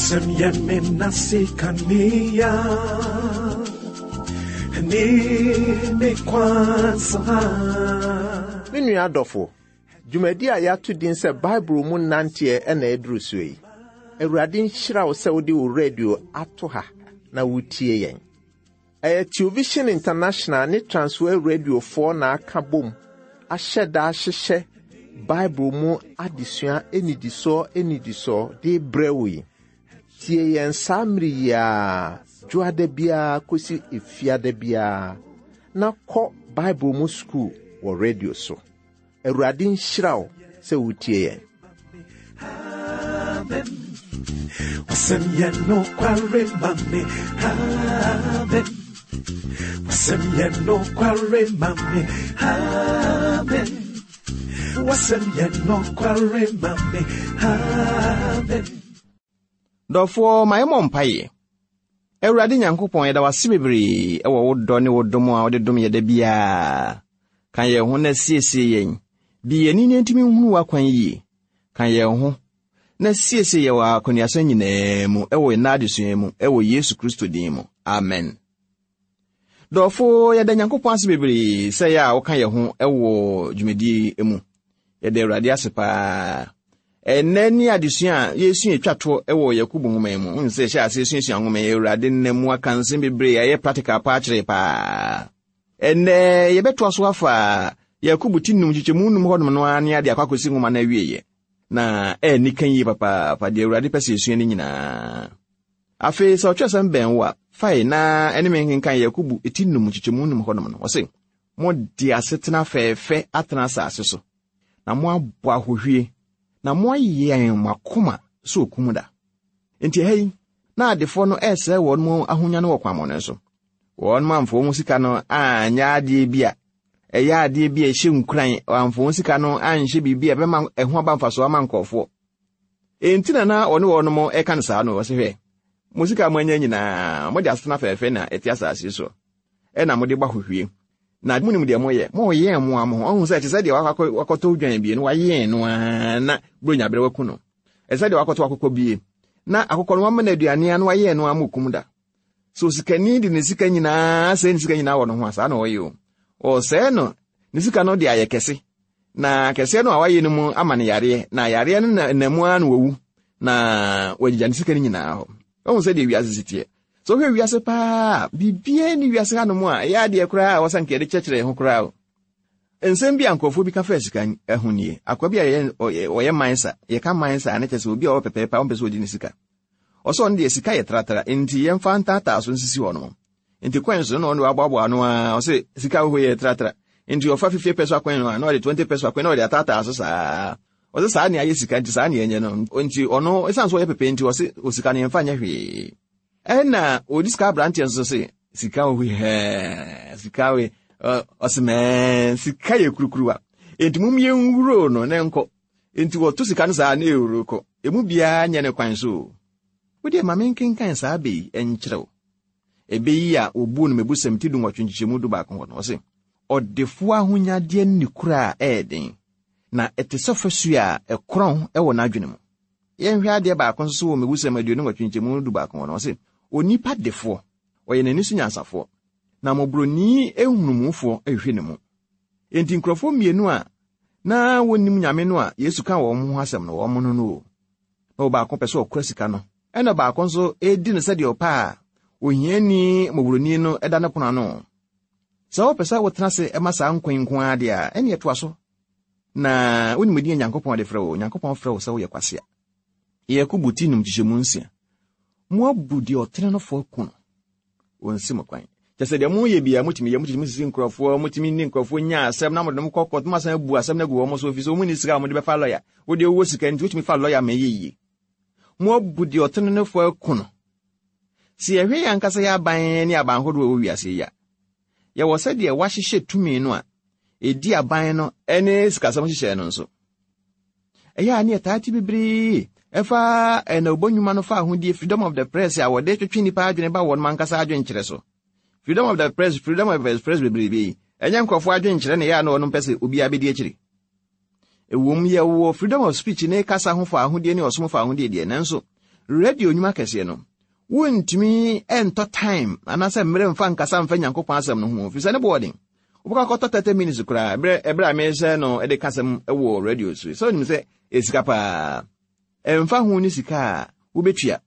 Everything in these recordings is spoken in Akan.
Wasɛm yɛ me nase kanea ne me kwan so ha. Me nua adɔfo, dwumadi a yɛato din sɛ Bible mu nanteɛ na ɛduru so yi. Awurade nhyira wo sɛ wode wo radio ato ha na wotie yɛn. Ɛyɛ Television International ne Transworld Radiofoɔ na aka bom ahyɛ da ahyehyɛ Bible mu adesua nnidisoɔ nnidisoɔ de brɛ wo yi. Tie yɛn saa mmere yi ara, dwoada biara kɔsi efiada biara, na kɔ Bible mu sukuu wɔ radio so. Awurade nhyira wo sɛ wotie yɛn. Amen. Wasɛm yɛ nokware ma me. Amen. Wasɛm yɛ nokware ma me. Amen. Wasɛm yɛ nokware ma me. Amen. Dɔfoɔ, ma yɛmmɔ mpaeɛ. Awurade Nyankopɔn, yɛda wo ase bebree wɔ wo dɔ ne wo dom a wode dom yɛ da biara. Ka yɛn ho na siesie yɛn. Bi yɛn ani na yɛntumi nhunu w'akwan yie. Ka yɛn ho na siesie yɛn wɔ akɔneasa nyinaa mu wɔ yɛn adesua mu wɔ Yesu Kristo din mu. Amen. Dɔfo, yɛda Nyankopɔn ase bebree sɛ yɛ a woka yɛn ho wɔ dwumadie yi mu. Yɛda Awurade ase paa. Ɛnnɛ ne adesua a yɛsua etwa toɔ wɔ Yakobo nwoma yi mu. Wohu sɛ yɛhyɛ ase suasua nwoma yi, Awurade nna mu aka nsɛm bebree a ɛyɛ practical paa kyerɛ paa. Ɛnnɛ yɛbɛtoa so afa Yakobo ti num nkyekyɛmu num hɔnom no ara ne ade akɔ akɔsi nwoma no awieeɛ. Na ɛnni kan yie papaapa deɛ Awurade pɛ sɛ yɛsua no nyinaa. Afei sɛ ɔtwerɛsɛm bɛn wo a, fae na ɛne me nkenkan Yakobo ti num nkyekyɛmu num hɔnom no. Ɔse, Mode asetena fɛɛfɛ atena asase so, na moabɔ ahohwie, na moayɛn mo akoma sɛ okum da. Enti ɛha yi, na adefoɔ no ɛresɛe wɔn mu ahonya no wɔ kwammɔne so. Wɔn amfa wɔn sika no anyɛ adeɛ bi a ɛyɛ adeɛ bi a ɛhyɛ nkuran, wɔamfa wɔn sika no anhyɛ biribi a ɛbɛma ɛho aba mfasoɔ ama nkurɔfoɔ. Enti na na ɔne wɔn ɛka no saa no, ɔse hwɛ, mo sika a moanya nyinaa, mode asetena fɛɛfɛ na ɛte asase so, ɛna mode bɔ ahohwie. Na monim deɛ moyɛ, moyɛn mo a mo ho, ɔhu sɛ ɛte sɛ deɛ wakɔtɔ dwan bie no, wayɛn no ara na buronya berɛ waku no. Ɛte sɛ deɛ wakɔtɔ akokɔ bie, na akokɔ no wama no aduane a na wayɛn no ara ma okum da. Sɛ osikani de ne sika nyinaa sɛe ne sika nyinaa wɔ no ho a, saa na ɔyɛ o. Ɔsɛe no ne sika no de ayɛ kɛse, na kɛseɛ no a wayɛ no mu ama no yareɛ, na yareɛ no na mu ara na wawu, na wagyigya ne sika no nyinaa hɔ. Ɔhu sɛ deɛ wiase si teɛ. Sɛ wohwɛ wiase paa, biribiara ni wiase hanom a ɛyɛ adeɛ koraa a wɔsɛ nka yɛde kyerɛkyerɛ yɛn ho koraa o. Nsɛm bi a nkurɔfoɔ bi ka faa sika ho nie. Akoa bi a ɔyɛ mansa, yɛka mansa a ne kyerɛ sɛ obi a ɔwɔ pɛpɛɛpɛ a ɔmpɛ sɛ ɔdi ne sika. Ɔsɛ ɔno deɛ sika yɛ tratra, nti yɛmfa ntaataa so nsisi hɔ nom. Nti coins no na ɔno waboaboa ano ara, ɔsɛ sika ahohɔ yɛ tratra. Nti ɔfa 50 peso coin no a, na ɔde 20 peso coin na ɔde ataataa so saa. Ɔsɛ saa ne ayɛ sika nti saa ne ɛnyɛ no. Nti ɔno ɛsiane sɛ ɔyɛ pɛpɛ nti ɔse osika no yɛmfa nyɛ hwee. Ɛna ɔdi sika aberanteɛ nso se sika wɔ hɛɛ sika we ɔse mɛɛ sika yɛ kurukuruwa. Nti mom yɛnwuro no ne nkɔ. Nti wɔto sika no saa na ɛwuro kɔ. Emu biara nyɛ ne kwan so o. Wodeɛ ma menkenkan saa bɛ yi nkyerɛ wo. Ɛbɛ yi a wɔbuu no Mebusɛm ti dunwɔtwe nkyekyɛmu dubaako hɔ no, ɔse, Ɔdefoɔ ahonyadeɛ ne kura a ɛyɛ den, na ɛte sɛ fasuo a ɛkorɔn wɔ n'adwene mu. Yɛnhwɛ adeɛ baako nso so wɔ Mebusɛm 28 nkyekyɛmu dubaako hɔ no, ɔse, Onipa defoɔ, ɔyɛ n'ani so nyansafoɔ, na mmɔborɔni nhunumufoɔ hwehwɛ ne mu. Enti nkurɔfoɔ mmienu a na wɔnnim Nyame no a Yesu ka wɔn ho asɛm no, wɔn no no o. Na ɔbaako pɛ sɛ ɔkora sika no, ɛna baako nso redi no sɛdeɛ ɔpɛ a ohiani mmɔborɔni no da ne pono ano. Sɛ wopɛ sɛ wotena ase ma saa nkwa yi nko ara deɛ a, ɛnneɛ toa so. Na wonim din a Nyankopɔn de frɛ wo. Nyankopɔn frɛ wo sɛ woyɛ kwasea. Yakobo ti num nkyekyɛmu nsia. Moabu deɛ ɔtene no fɔ aku no. Wɔnsi mo kwan. Kyɛ sɛ deɛ moyɛ biara motumi yɛ, motumi sisi nkurɔfoɔ, motumi ne nkurɔfoɔ nya asɛm na mode wɔn kɔ kɔɔto, moasan abu asɛm no agu wɔn so, ɛfiri sɛ wɔn nni sika a wɔde bɛfa lɔya. Wo deɛ wowɔ sika nti wotumi fa lɔya ma ɛyɛ yie. Moabu deɛ ɔtene no fɔ aku no. Sɛ yɛhwɛ yɛn ankasa yɛn aban ne aban ahodoɔ a ɛwɔ wiase yi a, yɛwɔ sɛdeɛ wɔahyehyɛ tumi no a ɛdi aban no ne sikasɛm nhyehyɛe no nso. Ɛyɛ a ne yɛtaa te bebree ɛfa ɛnawbɔ nnwuma no fa ahodie freedom of the press a wɔde twetwe nnipa adwene ba wɔn ankasa adwenkyerɛ so. Freedom of the press, freedom of the press bebrebe yi, ɛnyɛ nkurɔfoɔ adwenkyerɛ na ɛyɛ a na wɔn mpɛ sɛ obiara bɛdi akyiri. Ɛwom, yɛwɔ freedom of speech ne kasa ho fa ahodie ne ɔsom fa ahodie deɛ, nanso Radio nnwuma kɛseɛ no, wontumi ntɔ time anaasɛ mmerɛ mfa nkasa mfa Nyankopɔn asɛm no ho, ɛfiri sɛ ne boɔ den. Wobɛkɔ akɔtɔ 30 minutes koraa, ɛberɛ a mehyɛ no de kasɛm wɔ radio so. Sɛ wonim sɛ ɛyɛ sika paa. Ɛmfa ho ne sika a wobɛtua.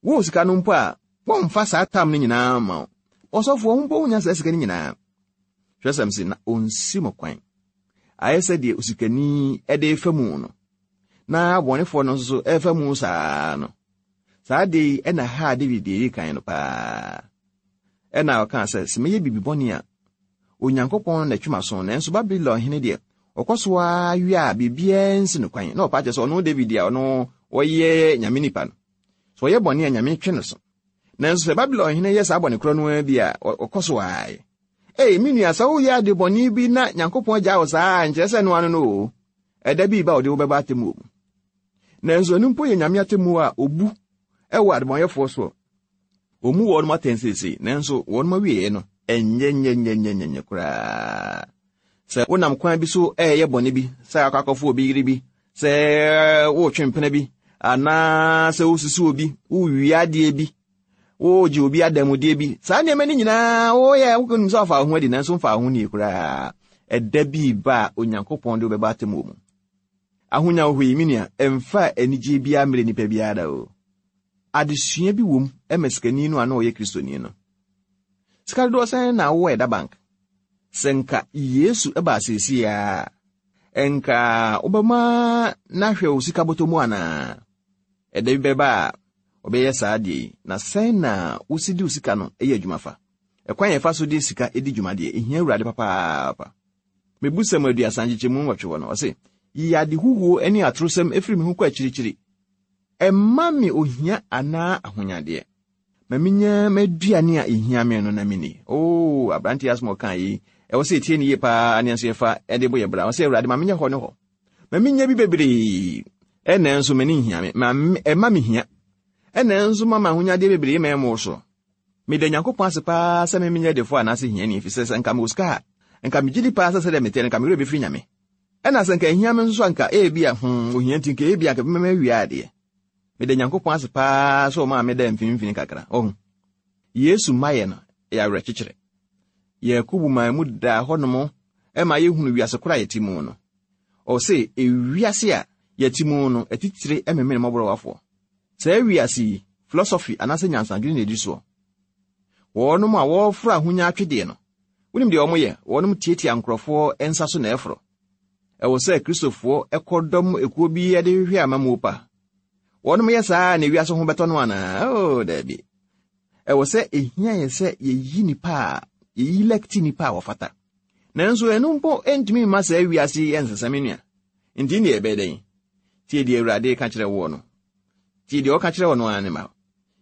Wowɔ sika no mpo a, wɔmfa saa tam no nyinaa mma wo. Ɔsɔfoɔ, wo mpo wonnya saa sika no nyinaa. Twerɛsɛm se, na ɔnsi mo kwan. Ayɛ sɛ deɛ osikani de refa mu no, na abɔnefoɔ no nso so refa mu saa no. Saa adeɛ yi na haa David deɛ ɛdi kan no paa. Ɛna ɔkaa sɛ, sɛ mɛyɛ biribi bɔne a, Onyankopɔn na ɛtwe m'aso, nanso Babilon hene deɛ, ɔkɔ so ara wie a biribiara nsi no kwan. Na ɔpa kyerɛ sɛ ɔno David a ɔno ɔyɛ Nyame nipa no, sɛ ɔyɛ bɔne a Nyame twe no so. Nanso sɛ Babilon hene yɛ saa bɔne korɔ no ara bi a, ɔkɔ so ara yɛ. Ei, me nua, sɛ woyɛ ade bɔne bi na Nyankopɔn gyaa wo saa a, nkyerɛ sɛ ɛno ano no o. Ɛda bi reba a ɔde wo bɛba atemmuo mu. Nanso ɛno mpo yɛ Nyame atemmuo a obu wɔ adebɔnyɛfoɔ soɔ. Wɔmmu wɔnom atɛn seesei, nanso wɔnom awieeɛ no, ɛnyɛ nyɛnyɛnyɛnyɛnyɛ koraa. Sɛ wonam kwan bi so ɛreyɛ bɔne bi, sɛ akɔ akɔfo obi yere bi, sɛ wotwe mpena bi, anaa sɛ wosisi obi, wowia adeɛ bi, wogye obi adanmudeɛ bi, saa nneɛma no nyinaa woyɛ wonim sɛ ɔfa wo ho adi, nanso mfa wo ho nie koraa. Ɛda bi ba a Onyankopɔn de wobɛba atemmuo mu. Ahonya wɔ hɔ yi, me nua, ɛmfa anigyeɛ biara mmerɛ nipa biara da o. Adesua bi wom ma sikani no a na ɔyɛ Kristoni no. Sika dodoɔ sɛn na wowɔ ɛda bank? Sɛ nka Yesu baa seesei ara a, nka wobɛma no ahwɛ wo sika bɔtɔ mu anaa? Ɛda bi bɛba a ɔbɛyɛ saa adeɛ yi, na sɛn na wosi de wo sika no yɛ adwuma fa? Ɛkwan a yɛfa so de sika di dwuma deɛ, ɛhia Awurade papaapa. Mebusɛm 30 nkyekyɛmu 8 hɔ no, ɔse, Yi ade huhuo ne atorosɛm firi me ho kɔ akyirikyiri. Mma me ohia anaa ahonyadeɛ. Ma minya m'aduane a ehia me no na minni. Oo, aberante yi asɛm a ɔkaa yi, ɛwɔ sɛ yɛtie no yie paa ne nso yɛfa de bɔ yɛn bra. Ɔsɛ, Awurade, ma menyɛ hɔ ne hɔ. Ma minya bi bebree, ɛnna nso m'ani nhia me. Ma ɛma me hia, ɛnna nso ma m'ahonyadeɛ bebree ma ɛmmoro so. Meda Nyankopɔn ase paa sɛ me menyɛ defoɔ anaasɛ hiani, efisɛ sɛ nka mewɔ sika a, nka megye di paa sɛ sɛdeɛ meteɛ no, nka me werɛ bɛfiri Nyame. Ɛna sɛ nka ehia me nso so a, nka ebia, hmm, ohia nti, nka ebia nka ɛbɛma mawie adeɛ. Meda Nyankopɔn ase paa sɛ ɔmaa medaa mfinimfini kakra. Ɔho. Yesu mmaeɛ no yɛ awerɛkyekyerɛ. Yakobo maa mu daa hɔnom ma yɛhunu wiase koro a yɛte mu no. Ɔse, ewiase a yɛte mu no, atitire memene mmɔborɔwafoɔ. Saa wiase yi, philosophy anaasɛ nyansadwene na ɛdi soɔ. Wɔnom a wɔreforo ahonya atwedeɛ no, wonim deɛ wɔyɛ? Wɔnom tiatia nkurɔfoɔ nsa so na ɛforo. Ɛwɔ sɛ Kristofoɔ kɔdɔm ekuo bi de hwehwɛ amammuo pa. Wɔnom yɛ saa na ewiase ho bɛtɔ no anaa? Oh, daabi. Ɛwɔ sɛ ehia yɛ sɛ yɛyi nipa a yɛyi lɛkti nipa a wɔfata. Nanso ɛno mpo ntumi mma saa wiase yi nsesa me nua. Nti deɛ ɛbɛyɛ dɛn? Tie deɛ Awurade ka kyerɛ woɔ no. Tie deɛ ɔka kyerɛ wo no ara ne ma.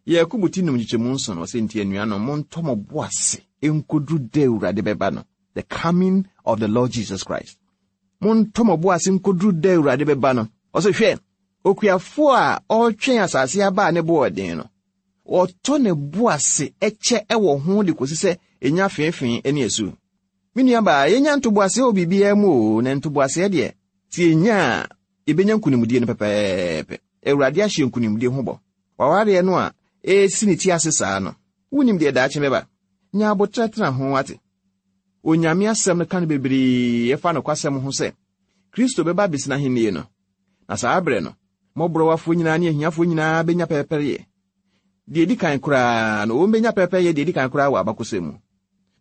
Yakobo ti num nkyekyɛmu nson no, ɔsɛ nti anuanom, montɔ mo bo ase nkoduru da Awurade bɛba no, the coming of the Lord Jesus Christ. Montɔ mo bo ase nkoduru da Awurade bɛba no. Ɔsɛ hwɛ, okuafoɔ a ɔretwɛn asase aba a ne bo ɔden no, ɔtɔ ne bo ase kyɛ wɔ ho de kɔsi sɛ ɛnya feefee ne asu. Me nuabaa, yɛnya ntoboaseɛ wɔ biribiara mu o, na ntoboaseɛ deɛ, sɛ yɛnya a, yɛbɛnya nkonimdie no pɛpɛɛpɛ. Awurade ahyɛ nkonimdie ho bɔ. W'awareɛ no a ɛresi ne ti ase saa no, wonnim deɛ daakye bɛba. Nya aboterɛ tena ho, wate? Onyame asɛm no ka no bebree ɛfa nokwasɛm ho sɛ, Kristo bɛba abɛsi n'ahennie no, na saa berɛ no, mmɔborɔwafoɔ nyinaa ne ahiafoɔ nyinaa bɛnya pɛrɛpɛreyɛ. Deɛ ɛdi kan koraa no, wɔbɛnya pɛrɛpɛreyɛ deɛ ɛdi kan koraa wɔ abakɔsɛm mu.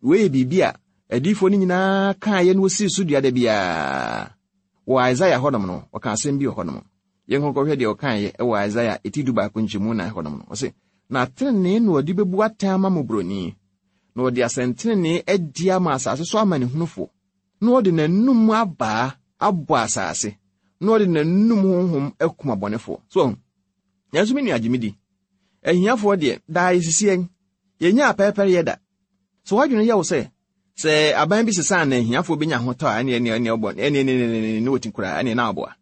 Wei yɛ biribi a adiyifoɔ no nyinaa kaeɛ na wɔsii so dua da biara. Wɔ Isaiah hɔnom no, ɔka asɛm bi wɔ hɔnom. Yɛnkɔnkɔhwɛ deɛ ɔkaeɛ wɔ Isaiah eti dubaako nkyɛmu nan hɔnom no. Ɔse, Na tenenee na ɔde bɛbu atɛn ama mmɔborɔni, na ɔde asɛntenenee adi ama asase so amanehunufoɔ, na ɔde n'anum abaa abɔ asase, na ɔde n'anum honhom akum abɔnefoɔ. So ɔho? Nanso me nua gye me di. Ahiafoɔ deɛ, daa yɛsisi yɛn. Yɛnnya apɛɛpɛreyɛ da. So w'adwene yɛ wo sɛ, sɛ aban bi sesa na ahiafoɔ bɛnya ahotɔ a, ɛneɛ ɛneɛ ɛneɛ ɔbɔ ɛneɛ ɛneɛ ɛneɛ ɛneɛ wɔti koraa, ɛneɛ na aboa.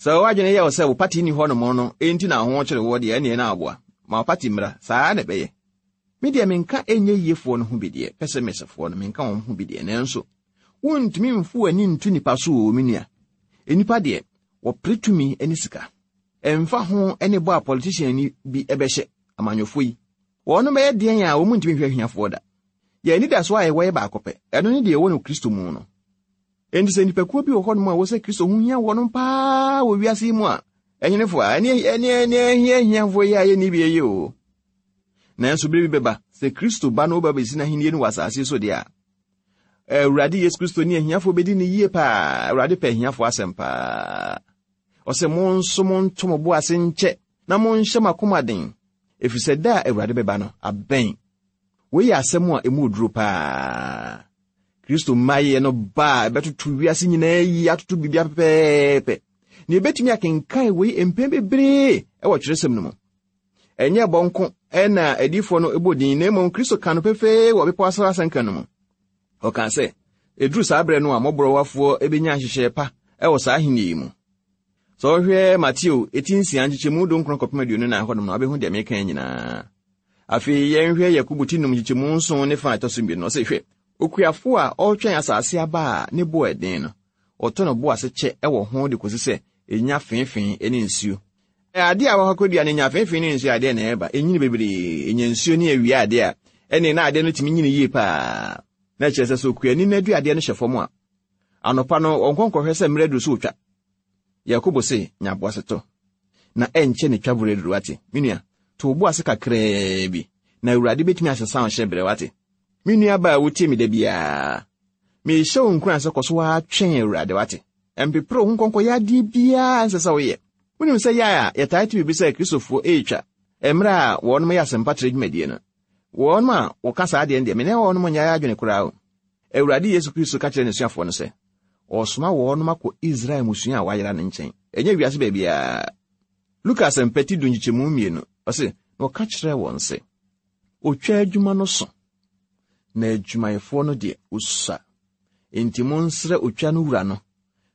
Sɛ w'adwene yɛ wo sɛ wo pati nni hɔnom no enti na ho kyere woɔ deɛ, ɛneɛ na aboa. Ma wo pati mmra, saa na ɛbɛyɛ. Me deɛ menka ɛnyɛ yiefoɔ no ho bi deɛ, pɛsɛmɛsɛfoɔ no menka wɔn ho bi deɛ, nanso wontumi mfo w'ani nto nipa so o, me nua. Nnipa deɛ, wɔpere tumi ne sika. Ɛmfa ho ne bɔ a politician bi bɛhyɛ, amanyɔfoɔ yi, wɔnom bɛyɛ deɛn a wɔn ntumi nhwɛ ahiafoɔ da. Yɛn anidasoɔ a yɛwɔ yɛ baako pɛ, ɛno ne deɛ ɛwɔ no Kristo mu no. Enti sɛ nnipakuo bi wɔ hɔnom a ɛwɔ sɛ Kristo ho hia wɔnom paa wɔ wiase yi mu a, ɛnyenefo a, ɛne ɛne ɛne ahia ahiafoɔ yi a yɛnni bi yi o. Nanso bere bi bɛba, sɛ Kristo ba no ba bɛsi n'ahenni no wɔ asase so deɛ a, Awurade Yesu Kristo ne ahiafoɔ bɛdi no yie paa. Awurade pɛ ahiafoɔ asɛm paa. Ɔsɛ mo nso monto mo bo ase nkyɛ na monhyɛ mo akoma den, ɛfiri sɛ da a Awurade bɛba no abɛn. Wei yɛ asɛm a emu oduro paa. Kristo mmaeɛ no ba a ɛbɛtoto wiase nyinaa yi atoto biribiara pɛpɛɛpɛ. Na yɛbɛtumi akenkan wei mpɛn bebree wɔ twerɛsɛm no mu. Ɛnyɛ bɔ nko na adiyifoɔ no bɔ din, na mmom Kristo ka no pefee wɔ Bepɔ so Asɛnka no mu. Ɔkaa sɛ, ɛduru saa berɛ no a mmɔborɔwafoɔ bɛnya nhyehyɛɛ pa wɔ saa ahenni yi mu. Sɛ wohwɛ Mateo eti nsia nkyekyɛmu dunkron kɔpem 24 hɔnom no, wobɛhu deɛ meka yi nyinaa. Afei yɛnhwɛ Yakobo ti num nkyekyɛmu nson ne fa a ɛtɔ so mmienu no, ɔse, Hwɛ, okuafo a ɔretwɛn asase aba a ne bo yɛ den no, ɔtɔ ne bo ase kyɛ wɔ ho de kɔsi sɛ ɛnya feefee ne nsuo. Ade a wɔakɔ akɔdua no nya feefee ne nsuo adeɛ na ɛba, ɛnyini bebree, ɛnya nsuo ne awia adeɛ a, ɛne na adeɛ no tumi nyini yie paa. Na kyerɛ sɛ sɛ okuani no aduadeɛ no hyɛ fam a, anɔpa no ɔnkɔ nkɔhwɛ sɛ mmerɛ aduru so ɔtwa. Yakobo se, nya boasetɔ, na ɛnkyɛ ne twaberɛ aduru, wate? Me nua, to wo bo ase kakraa bi, na Awurade bɛtumi asesa wo hyɛberɛ, wate? Me nua baa a wotie me da biara, mehyɛ wo nkuran sɛ kɔ so ara twɛn Awurade, wate? Mpepere wo ho nkɔnkɔyɛ adeɛ biara a ɛnsɛ sɛ woyɛ. Wonim sɛ yɛ a yɛtaa te biribi sɛ Kristofoɔ retwa mmerɛ a wɔnom yɛ asɛmpatrɛ dwumadie no. Wɔnom a wɔka saa adeɛ no deɛ, me ne wɔnom nyɛ adwene koraa o. Awurade Yesu Kristo ka kyerɛɛ n'asuafoɔ no sɛ, ɔresoma wɔnom akɔ Israel mmusua a wɔayera no nkyɛn, ɛnyɛ wiase baabiara. Luka Asɛmpa ti du nkyekyɛmu mmienu, ɔse, Na ɔka kyerɛɛ wɔn sɛ, Otwa adwuma no so, na adwumayɛfoɔ no deɛ, wɔsua. Enti monsrɛ otwa no wura no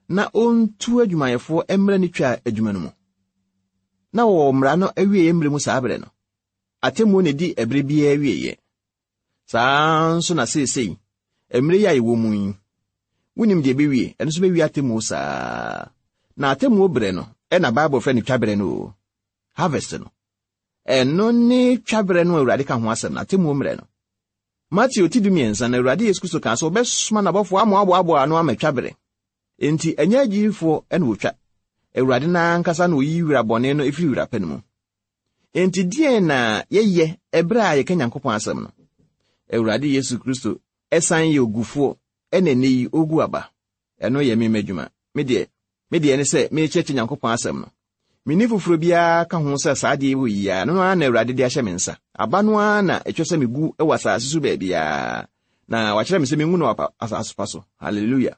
na ɔntu adwumayɛfoɔ mmrɛ ne twa adwuma no mu. Na wɔwɔ mmara no awieeɛ mmerɛ mu saa berɛ no. Atemmuo na ɛdi ɛberɛ biara awieeɛ. Saa ara nso na seesei, mmerɛ yi a yɛwɔ mu yi, wonim deɛ ɛbɛwie, ɛno nso bɛwie atemmuo saa. Na atemmuo berɛ no, ɛna Bible frɛ no twa berɛ no o, harvest no. Ɛno ne twa berɛ no a Awurade ka ho asɛm no, atemmuo mmerɛ no. Mateo ti dumiɛnsa no, Awurade Yesu Kristo kaa sɛ ɔbɛsoma n'abɔfoɔ amoaboaboa ano ama twa berɛ. Enti ɛnyɛ agyidifoɔ na wɔtwa. Awurade no ankasa na ɔyi wira bɔne no firi wira pa no mu. Enti deɛn na yɛyɛ ɛberɛ a yɛka Nyankopɔn asɛm no? Awurade Yesu Kristo san yɛ ogufoɔ ɛna ɛnnɛ yi ɔgu aba. Ɛno yɛ me m'adwuma. Me deɛ, me deɛ ne sɛ merekyerɛkyerɛ Nyankopɔn asɛm no. Menni foforɔ biara ka ho sɛ saa adeɛ wɔ yi ara, ɛno ara na Awurade de ahyɛ me nsa. Aba no ara na ɛtwa sɛ megu wɔ asase so baabiara, na wakyerɛ me sɛ mengu no wɔ asase pa so. Hallelujah.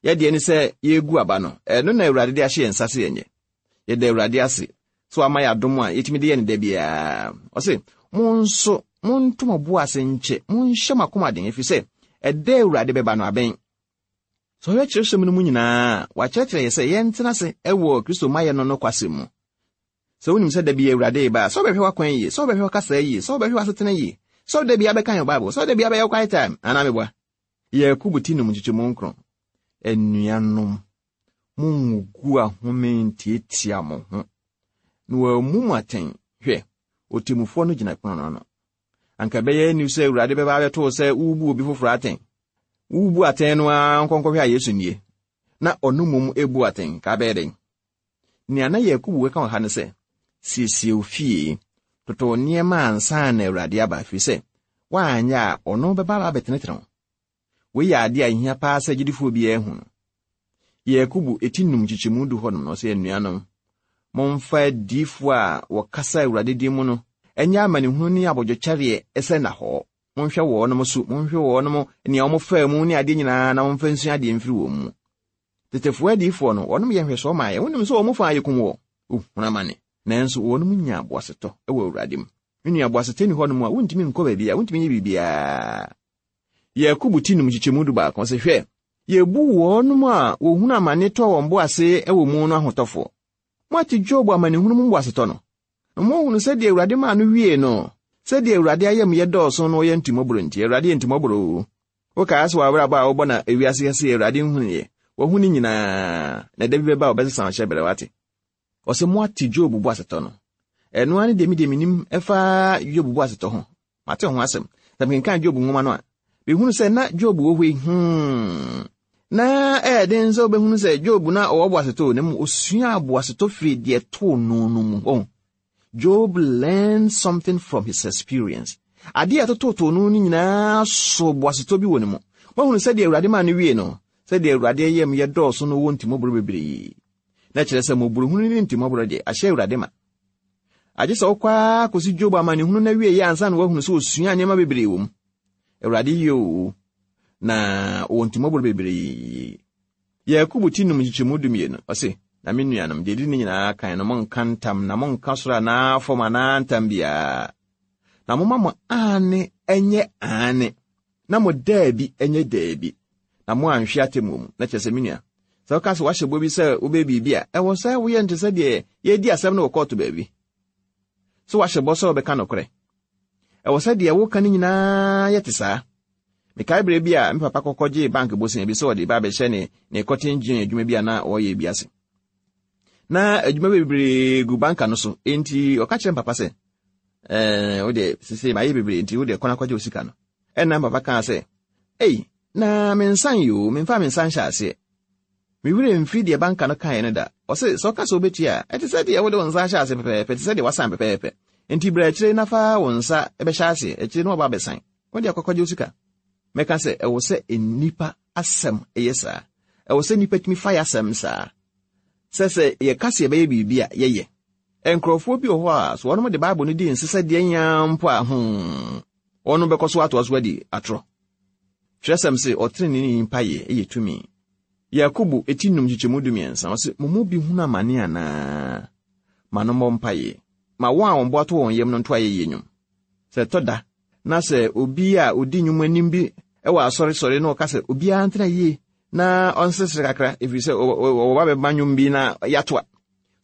Yɛ deɛ ne sɛ yɛregu aba no, ɛno na Awurade de ahyɛ yɛn nsa sɛ yɛnyɛ. Yɛda Awurade ase sɛ wama yɛ adom a yɛtumi de yɛ no da biara. Ɔse, mo nso, monto mo bo ase nkyɛ, monhyɛ mo akoma den, ɛfiri sɛ ɛda Awurade bɛba no abɛn. Sɛ ɔhwɛ kyerɛwsɛm no mu nyinaa a, wɔakyerɛkyerɛ yɛ sɛ yɛntena ase wɔ Kristo mayɛ no nokwasɛm mu. Sɛ wonim sɛ da bi Awurade reba a, sɛ wobɛhwɛ w'akwan yie, sɛ wobɛhwɛ w'akasa yie, sɛ wobɛhwɛ w'asetena yie, sɛ da biara bɛkan wo Bible, sɛ da biara bɛyɛ wo quiet time, anaa meboa? Yakobo ti num nkyekyɛmu nkron. Anuanom, munngugu ahome ntiatia mo ho, na wɔammu mo atɛn. Hwɛ, ɔtemmufoɔ no gyina pono no ano. Anka ɛbɛyɛ aniwu sɛ Awurade bɛba abɛto wo sɛ worebu obi foforɔ atɛn. Worebu atɛn no ara nkɔnkɔhwɛ a Yesu nie, na ɔno mmom rebu atɛn, ka abɛyɛ dɛn? Nea na Yakobo reka wɔ ha ne sɛ, siesie wo fie, toto wo nneɛma ansa na Awurade aba, ɛfiri sɛ woanyɛ a ɔno bɛba abɛtenetene wo. Wei yɛ adeɛ a ɛhia paa sɛ gyidifoɔ biara hu no. Yakobo eti num nkyekyɛmu du hɔnom no, ɔsɛ anuanom, momfa adiyifoɔ a wɔkasa Awurade din mu no nyɛ amanehunu ne abodwokyɛreɛ sɛ nnahɔɔ. Monhwɛ wɔnom so, monhwɛ wɔnom nea wɔfaa mu ne adeɛ nyinaa na momfa nsua adeɛ mfiri wɔn mu. Tetefoɔ adiyifoɔ no, wɔnom yɛ nhwɛsoɔ maa yɛn. Wonim sɛ wɔn mu fa ayɛ kum wɔ ohunu amane, nanso wɔnom nyaa boasetɔ wɔ Awurade mu. Me nua, boasetɔ nni hɔnom a, wontumi nkɔ baabiara, wontumi nyɛ biribiara. Yakobo ti num nkyekyɛmu dubaako sɛ, Hwɛ, yebu wɔnom a wɔhunu amane tɔ wɔn bo ase wɔ mu no ahotɔfoɔ. Moate Job amanehunu mu boasetɔ no, na moahunu sɛdeɛ Awurade maa no wiee no, sɛdeɛ Awurade ayamyɛ dɔɔso na ɔyɛ ntimmɔborɔ nti. Awurade yɛ ntimmɔborɔ o. Wokaa sɛ w'abrabɔ a wobɔ na ewiase kɛse Awurade nhunuiɛ. Wahu ne nyinaa, na da bi bɛba a ɔbɛsesa wo hyɛberɛ, wate. Ɔsɛ moate Job boasetɔ no. Ɛno ara ne deɛ me deɛ menim ɛfa Job boasetɔ ho. Mate ho asɛm. Sɛ mekenkan Job nwoma no a, mehunu sɛ na Job wɔ hɔ yi, hmm, na ɛyɛ den sɛ wobɛhunu sɛ Job na ɔwɔ boasetɔ o, na mmom osuaa boasetɔ firi deɛ ɛtoo no no mu. Wɔn. Job learned something from his experience. Adeɛ a ɛtototoo no no nyinaa so boasetɔ bi wɔ ne mu. Woahunu sɛdeɛ Awurade maa no wie no, sɛdeɛ Awurade yam yɛ dɔɔso no wɔ ntimmɔborɔ bebree. Na kyerɛ sɛ mmɔborɔhunu ne ntimmɔborɔ deɛ, ahyɛ Awurade ma. Agye sɛ wokɔ ara kɔsi Job amanehunu no awieeɛ ansa na woahunu sɛ ɔsuaa nneɛma bebree wɔ mu. Awurade yɛ oo, na ɔwɔ ntimmɔborɔ bebree. Yakobo ti num nkyekyɛmu dumienu, ɔse, Na me nuanom, deɛ ɛdi ne nyinaa kan no, monnka ntam, na monnka soro anaa fam anaa ntam biara. Na momma mo aane nyɛ aane, na mo daabi nyɛ daabi, na moanhwe atemmuo mu. Na kyerɛ sɛ, me nua, sɛ woka sɛ woahyɛ bɔ bi sɛ wobɛyɛ biribi a, ɛwɔ sɛ woyɛ no te sɛ deɛ yɛredi asɛm no wɔ kɔɔto baabi. Sɛ woahyɛ bɔ sɛ wobɛka nokorɛ. Ɛwɔ sɛ deɛ woka no nyinaa yɛ te saa. Mekae berɛ bi a me papa kɔkɔgyee bank bosea bi sɛ ɔde ba abɛhyɛ ne ne cotton gin adwuma bi a na ɔreyɛ bi ase. Na adwuma bebree gu banka no so, enti ɔka kyerɛ me papa sɛ, ɛɛ, wo deɛ sese mayɛ bebree nti wo deɛ kɔ na kɔgye wo sika no. Ɛnna me papa kaa sɛ, Ei, na me nsa nyɛ o, memfaa me nsa nhyɛ aseɛ. Me werɛ mfiri deɛ banka no kaeɛ no da. Ɔse, sɛ ɔka sɛ wobɛtua a, ɛte sɛ deɛ wode wo nsa ahyɛ ase pɛpɛɛpɛ, te sɛ deɛ wasan pɛpɛɛpɛ. Enti bra akyire na fa wo nsa bɛhyɛ aseɛ, akyire na waba abɛsan. Wo deɛ kɔkɔgye wo sika. Mɛka sɛ, ɛwɔ sɛ nnipa asɛm yɛ saa. Ɛwɔ sɛ nnipa tumi fa yɛ asɛm saa. Sɛ sɛ yɛka sɛ yɛbɛyɛ biribi a, yɛyɛ. Nkurɔfoɔ bi wɔ hɔ a, sɛ wɔnom de Bible no di nse sɛ deɛ nyaa mpo a, hmm, wɔnom bɛkɔ so atoa so adi atorɔ. Twerɛsɛm se, ɔteneneeni mpaeɛ yɛ tumi. Yakobo ti num nkyekyɛmu dumiɛnsa, ɔse, mo mu bi hunu amane anaa? Ma no mmɔ mpaeɛ. Ma wɔn a wɔn bo ato wɔn yam no nto ayɛyie nnwom. Sɛ ɛtɔ da na sɛ obi a ɔdi nnwom anim bi wɔ asɔre sɔre na ɔka sɛ obiara ntena yie na ɔnseresere kakra ɛfiri sɛ wɔba bɛma nnwom bi na yɛato a,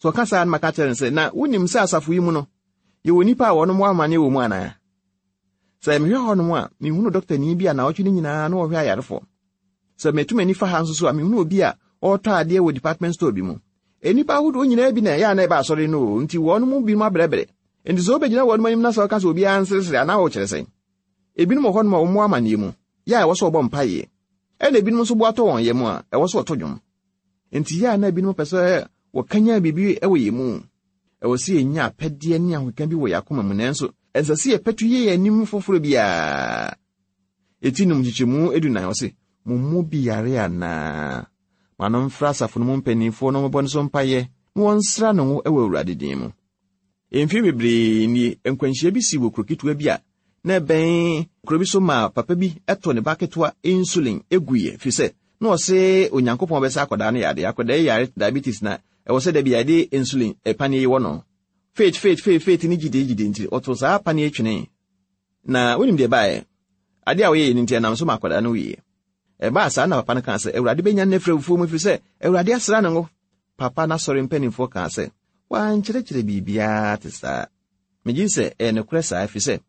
sɛ ɔka saa no maka kyerɛ no sɛ, na wonim sɛ asafo yi mu no yɛwɔ nnipa a wɔnom wɔ amanneɛ wɔ mu anaa? Sɛ mehwɛ hɔnom a, mehunu dɔktani bi a naawɔtwe no nyinaa na ɔhwɛ ayarefoɔ. Sɛ meto m'ani fa ha nso so a, mehunu obi a ɔretɔ adeɛ wɔ department store bi mu. Nnipa ahodoɔ nyinaa bi na ɛyɛ a na ɛba asɔre no o, nti wɔn mu binom abrɛbrɛ. Nti sɛ wobɛgyina wɔn anim na sɛ ɔka sɛ obiara nseresere a, na wokyerɛ sɛn? Ebinom wɔ hɔnom a wɔwɔ amanneɛ mu, yɛ a ɛwɔ sɛ wɔbɔ mpaeɛ. Ɛna ebinom nso bo atɔ wɔn yam a, ɛwɔ sɛ wɔto dwom. Enti yɛ a na ebinom pɛ sɛ wɔkanyan biribi wɔ yɛn mu. Ɛwɔ sɛ yenya apɛdeɛ ne ahokeka bi wɔ yɛn akoma mu, nanso ɛnsɛ sɛ yɛpɛto yɛ yɛn anim foforɔ biara. Eti nom nkyekyɛmu edunan, ɔse, Mo mu bi yare anaa? Ma no mfrɛ asafo no mu mpanimfoɔ na wɔmmɛbɔ ne so mpaeɛ na wɔnsra no ngo wɔ Awurade din mu. Mfe bebree nie, nkwanhyia bi sii wɔ kuro ketewa bi a na ɛbɛn kuro bi so maa papa bi too ne ba ketewa insulin guiɛ ɛfiri sɛ na ɔse Onyankopɔn bɛsa akwadaa no yadeɛ. Akwadaa yi yare diabetes na ɛwɔ sɛ da bi yɛde insulin paneɛ yi wɔ no. Faith, faith, faith, faith ne gyidie gyidie nti ɔtoo saa paneɛ yi twenee. Na wonim deɛ ɛbaeɛ? Adeɛ a ɔyɛeɛ no nti ɛnam so ma akwadaa no wuiɛ. Ɛbaa saa na papa no kaa sɛ, Awurade bɛnya no afiri awufoɔ mu ɛfiri sɛ Awurade asra no ngo. Papa no asɔre mpanimfoɔ kaa sɛ, Wankyerɛkyerɛ biribiara te saa. Megye di sɛ ɛyɛ nokorɛ saa, ɛfiri sɛ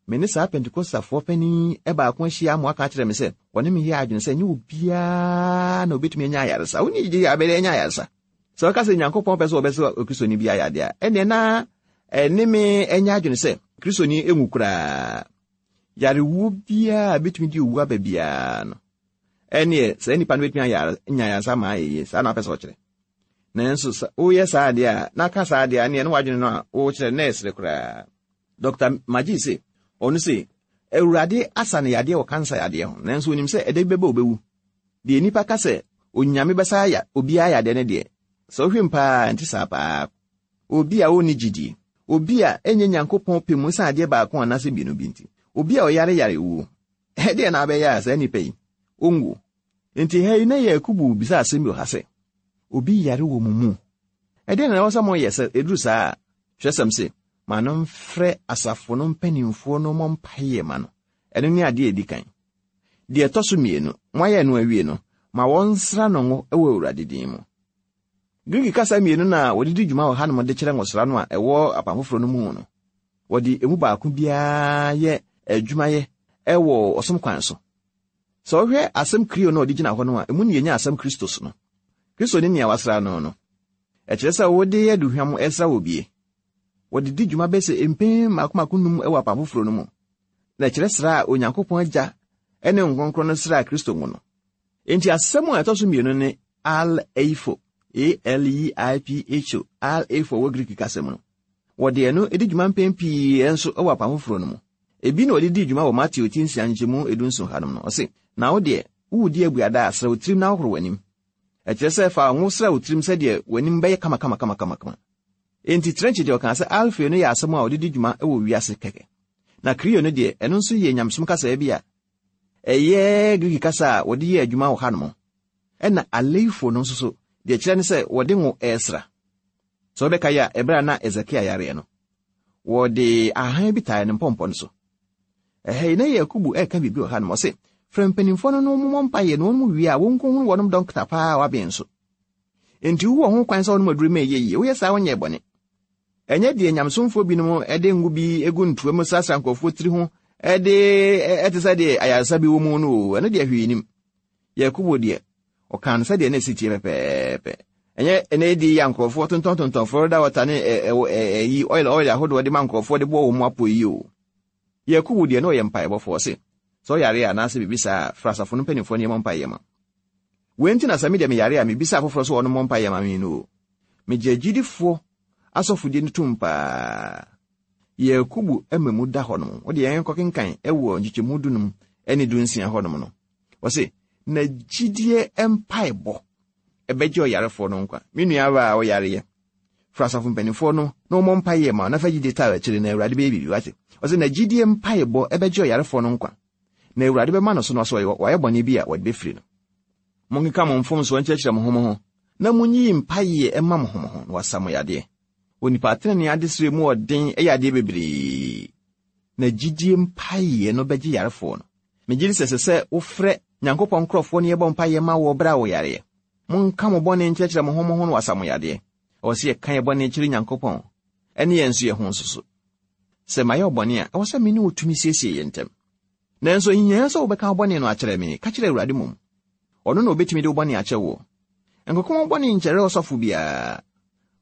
me ne saa Pentekostafoɔ panin yi baako ahyia ama waka akyerɛ me sɛ ɔne me yɛ adwene sɛ ɛnyɛ obiara na obɛtumi anya ayaresa. Wonni gyidi a bɛyɛ anya ayaresa. Sɛ ɔka sɛ Nyankopɔn pɛ sɛ ɔbɛsɛ Okristoni bi ayadeɛ a, ɛnneɛ na ɛne me anya adwene sɛ Kristoni nwu koraa. Yarewuo biara a ɛbɛtumi de owu aba biara no, ɛnneɛ saa nipa no bɛtumi anya ayaresa ma ayɛ yie. Saa na wapɛ sɛ ɔkyerɛ. Nanso sɛ woyɛ saa adeɛ a, na aka saa adeɛ a, ɛnneɛ na w'adwene no a wokyerɛ no na ɛsere koraa. Dɔkta Magee se, ɔno se, Awurade asa no yadeɛ wɔ kansa yadeɛ ho, nanso onim sɛ ɛda bi bɛba obewu. Deɛ nnipa ka sɛ Onyame bɛsa aya obiara yadeɛ no deɛ, sɛ wohwɛ mu paa a, ɛnte saa paa. Obi a ɔnni gyidie, obi a ɛnyɛ Nyankopɔn pɛ mu esiane adeɛ baako anaasɛ mmienu bi nti, obi a ɔyare yare wuo, ɛdeɛn na abɛyɛ a saa nipa yi, ɔnwuo? Enti ha yi na Yakobo bisa asɛm bi wɔ ha sɛ, Obi yare wɔ mo mu? Ɛdeɛn na ɛwɔ sɛ moyɛ sɛ ɛduru saa a? Twerɛsɛm se, Ma no mfrɛ asafo no mpanimfoɔ no mmɔ mpaeɛ ma no. Ɛno ne adeɛ a ɛdi kan. Deɛ ɛtɔ so mmienu, moayɛ ɛno awie no, ma wɔnsra no ngo wɔ Awurade din mu. Greek kasa mmienu na wɔde di dwuma wɔ hanom de kyerɛ ngosra no a ɛwɔ Apam Foforɔ no mu no. Wɔde emu baako biara yɛ adwumayɛ wɔ ɔsom kwan so. Sɛ wohwɛ asɛm krio no a ɔde gyina hɔ no a, emu na yenya asɛm Christos no. Kristo ne nea wɔasra no no. Ɛkyerɛ sɛ wode aduhwam resra obi. Wɔde di dwuma bɛyɛ sɛ mpɛn mmaako mmaako num wɔ Apam Foforo no mu, na ɛkyerɛ sra a Onyankopɔn Agya ne Honhom Kronkron no sraa Kristo ngo no. Enti asɛm a ɛtɔ so mmienu ne aleipho, A-L-E-I-P-H-O, aleipho wɔ Greek kasa mu no. Wɔde ɛno di dwuma mpɛn pii nso wɔ Apam Foforo no mu. Ebi na wɔde dii dwuma wɔ Mateo ti nsia nkyɛmu edunson hanom no. Ɔse, Na wo deɛ, woredi abuada a, sra wo tirim na hohoro w'anim. Ɛkyerɛ sɛ fa ngo sra wo tirim sɛdeɛ w'anim bɛyɛ kamakamakamakama. Enti Trench deɛ ɔkaa sɛ alfeo no yɛ asɛm a wɔde di dwuma wɔ wiase kɛkɛ. Na krio no deɛ, ɛno nso yɛ nyamesom kasaa bi a ɛyɛ Greek kasa a wɔde yɛ adwuma wɔ hanom. Ɛna aleifo no nso so, deɛ ɛkyerɛ ne sɛ wɔde ngo resra. Sɛ wobɛkae a, ɛberɛ a na Hesekia yareɛ no, wɔde ahahan bi tae ne mpɔmpɔ no so. Ɛha yi, na Yakubu reka biribi wɔ hanom. Ɔse, frɛ mpanimfoɔ no na wɔmmɔ mpaeɛ na wɔn mu wie a wɔnkɔhunu wɔnom dɔkta paa a waben nso. Enti wowɔ ho kwan sɛ wonom aduru ma ɛyɛ yie. Woyɛ saa wonyɛɛ bɔne. Ɛnyɛ deɛ nyamesomfoɔ binom de ngo bi gu ntoa mu srasra nkurɔfoɔ tiri ho de ɛte sɛ deɛ ayaresa bi wɔ mu no o, ɛno deɛ hwee nim. Yakobo deɛ, ɔkaa no sɛdeɛ na ɛsi teɛ pɛpɛɛpɛ. Ɛnyɛ ɛnɛ di yɛ nkurɔfoɔ tontɔntontɔn Florida water ne ɛyi oil oil ahodoɔ de ma nkurɔfoɔ de bɔ wɔn mu apɔ yi o. Yakobo deɛ na ɔyɛ mpaebɔfoɔ ɔse, sɛ ɔyare a anaasɛ biribi saa a, frɛ asafo no mpanimfoɔ no yɛmmɔ mpaeɛ ma. Wei nti na sɛ me deɛ meyare a, mebisa afoforɔ sɛ wɔn mmɔ mpaeɛ ma me no o. Megye agyidifoɔ asɔfodie no tom paa. Yakubu ma mu da hɔnom. Wode yɛn kɔkenkan wɔ nkyekyɛmu dunum ne dunsia hɔnom no. Wɔse, na gyidie mpaebɔ ɛbɛgye ɔyarefoɔ no nkwa. Me nua baa a ɔyareɛ, fra asafo mpanimfoɔ no na wɔmmɔ mpaeɛ ma na fa gyidie taa akyire na Awurade bɛyɛ biribi wate. Ɔse, na gyidie mpaebɔ ɛbɛgye ɔyarefoɔ no nkwa, na Awurade bɛma no so na ɔsɛ wayɛ bɔne bi a wɔde bɛfiri no. Monkeka mo mfomsoɔ nkyerɛkyerɛ mo ho mo ho, na monyiyi mpaeɛ mma mo ho mo ho, na wɔasa mo yadeɛ. Onipa tenenee adesrɛ mu ɔden yɛ adeɛ bebree, na gyidie mpaeɛ no bɛgye yarefoɔ no. Megye di sɛ ɛsɛ sɛ wofrɛ Nyankopɔn nkurɔfoɔ na yɛbɔ mpaeɛ ma wɔ berɛ a wɔyareɛ. Monka mo bɔne nkyerɛkyerɛ mo ho mo ho na wɔasa mo yadeɛ. Ɛwɔ sɛ yɛka yɛn bɔne kyerɛ Nyankopɔn ne yɛn nso yɛn ho nso so. Sɛ mayɛ wo bɔne a, ɛwɔ sɛ me ne wo tumi siesie yɛn ntam. Nanso ɛnhia sɛ wobɛka wo bɔne no akyerɛ me, ka kyerɛ Awurade mmom. Ɔno na obetumi de wo bɔne akyɛ woɔ. Nkɔka wo bɔne nkyerɛ ɔsɔfo biara,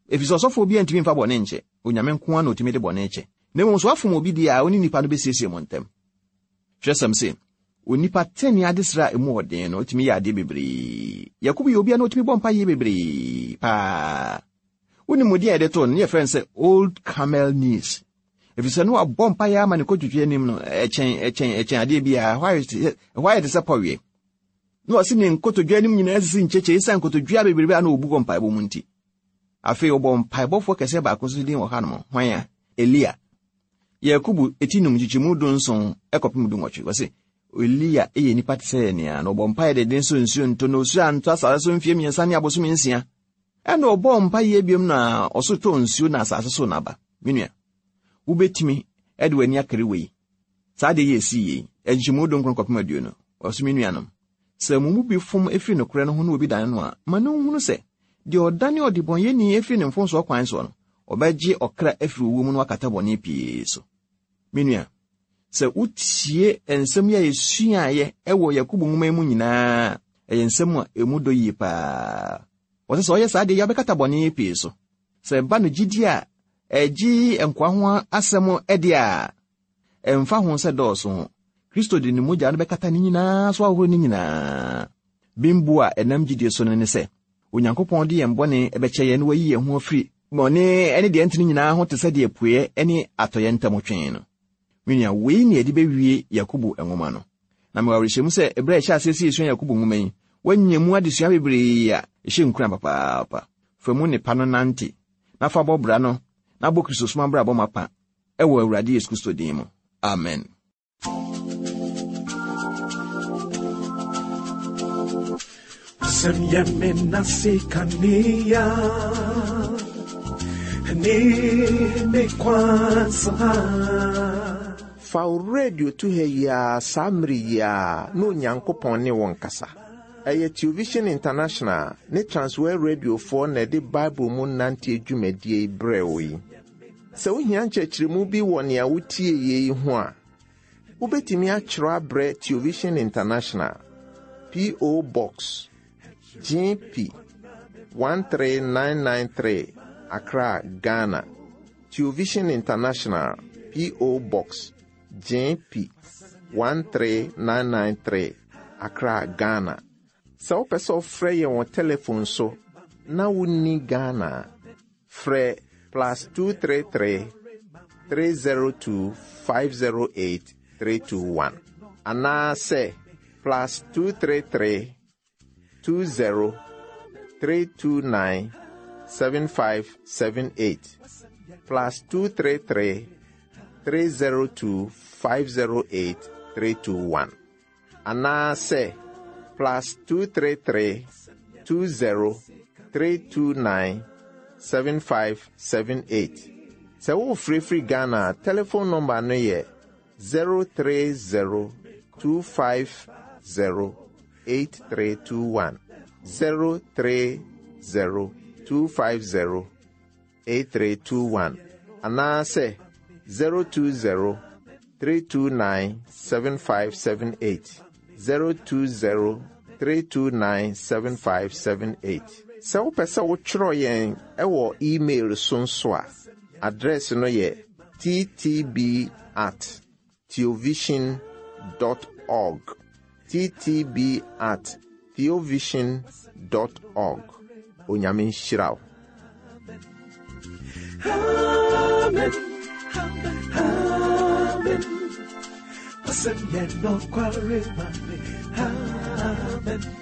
efisɛ ɔsɔfoɔ biara ntumi mfa bɔne nkyɛ, Onyame nko ara na otumi de bɔne kyɛ. Na mmom sɛ woafom obi deɛ a, wo ne nipa no besiesie mo ntam. Twerɛsɛm se, Onipa tenenee adesrɛ a emu wɔ den no tumi yɛ adeɛ bebree. Yakobo yɛ obi a na otumi bɔ mpaeɛ bebree paa. Wonim din a yɛde too no? Ne yɛfrɛ no sɛ Old Camel Knees. Efisɛ na wabɔ mpaeɛ ama ne kotodwe anim no ɛkyɛn ɛkyɛn ɛkyɛn adeɛ biara. Ɛhɔ ayɛ te ɛhɔ ayɛ te sɛ pɔweɛ. Na ɔse ne nkotodwe anim nyinaa sisi nkyekye esiane nkotodwe a bebrebe a na obu wɔ mpaebɔ mu nti. Afei ɔbɔ mpaebɔfoɔ kɛseɛ baako nso din wɔ hanom. Hwan a? Elia. Yakobo ti num nkyekyɛmu dunson kɔpem dunwɔtwe. Wɔse Elia yɛ nipa te sɛ yɛn ara, na ɔbɔ mpaeɛ denden sɛ nsuo ntɔ, na osuo antɔ asase so mfeɛ mmiɛnsa ne abosome nsia. Ɛna ɔbɔɔ mpaeɛ biom na ɔsoro tɔɔ nsuo na asase so n'aba. Me nua, wobɛtumi de w'ani akari wei? Saa adeɛ yi ɛsii yei, nkyekyɛmu dunkron kɔpem aduonu. Ɔse me nuanom, sɛ mo mu bi fom firi nokorɛ no ho na obi dane no a, ma no nhunu sɛ, deɛ ɔdane ɔdebɔneyɛni firi ne mfomsoɔ kwan soɔ no, ɔbɛgye ɔkra afiri owuo mu na wakata bɔne pii so. Me nua, sɛ wotie nsɛm yi a yɛsuaeɛ wɔ Yakobo nwoma yi mu nyinaa a, ɛyɛ nsɛm a emu dɔ yie paa. Wɔsɛ sɛ ɔyɛ saa deɛ yi a ɔbɛkata bɔne pii so. Sɛ ɛba no gyidie a ɛgye nkoa ho asɛm deɛ a, ɛmfa ho sɛ dɔɔso ho, Kristo de ne mogya no bɛkata ne nyinaa so ahohoro ne nyinaa. Bembuo a ɛnam gyidie so no ne sɛ, Onyankopɔn de yɛn bɔne bɛkyɛ yɛn na wayi yɛn ho afiri bɔne ne deɛ ɛntene nyinaa ho te sɛ deɛ apueɛ ne atɔeɛ ntam twe no. Me nua, wei ne yɛde bɛwie Yakobo nwoma no. Na mewɔ awerɛhyɛmu sɛ ɛberɛ a yɛhyɛ aseɛ sɛ yɛsua Yakobo nwoma yi, woanya mu adesua bebree a ɛhyɛ nkuran papaapa. Fa mu nnepa no nante, na fa bɔ bra no, na bɔ Kristosom abrabɔ mapa wɔ Awurade Yesu Kristo din mu. Amen. Sem yemina sikania ni me kwansa. Fa wo radio to ha yi ara saa mmere yi ara na Onyankopɔn ne wo nkasa. Ɛyɛ Television International ne Transworld Radiofoɔ na ɛde Bible mu nanteɛ dwumadie yi brɛɛ wo yi. Sɛ wohia nkyerɛkyerɛmu bi wɔ nea wotie yi ho a, wobɛtumi akyerɛ abrɛ Television International, P.O. Box, GP. 13993 Accra, Ghana. Television International, P.O. Box, JP 13993, Accra, Ghana. Sɛ wopɛ sɛ wofrɛ yɛn wɔ telefon so na wonni Ghana a, frɛ plus 233 302 508 321 anaasɛ plus 233 20 329 7578 plus 233 302 508 321 anaasɛ plus 233 20 329 7578. Sɛ wofirifiri Ghana a, telephone nɔmba no yɛ 030 250 8321. 030 250 8321 anaasɛ 020 329 7578. 020 329 7578. Sɛ wopɛ sɛ wotwerɛ yɛn ɛwɔ email so nso a, adrɛs no yɛ ttb at theovision dot org. ttb at theovision dot org. Onyame nhyira wo. Amen. Amen. Amen.